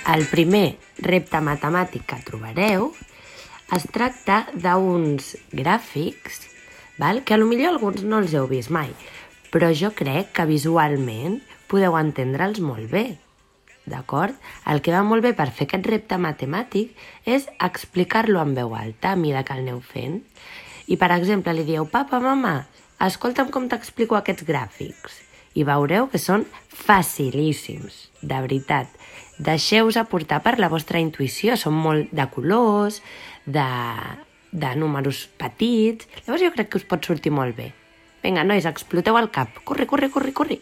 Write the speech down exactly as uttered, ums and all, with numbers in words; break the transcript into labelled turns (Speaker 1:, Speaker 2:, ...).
Speaker 1: El primer repte matemàtic que trobareu es tracta d'uns gràfics, val? Que potser alguns no els heu vist mai, però jo crec que visualment podeu entendre'ls molt bé. D'acord? El que va molt bé per fer aquest repte matemàtic és explicar-lo en veu alta a mesura que el aneu fent. I, per exemple, li dieu, papa, mama, escolta'm com t'explico aquests gràfics. I veureu que són facilíssims, de veritat. Deixeu-vos aportar per la vostra intuïció, són molt de colors, de, de números petits. Llavors jo crec que us pot sortir molt bé. Vinga, nois, exploteu el cap. Corre, corre, corre, corre.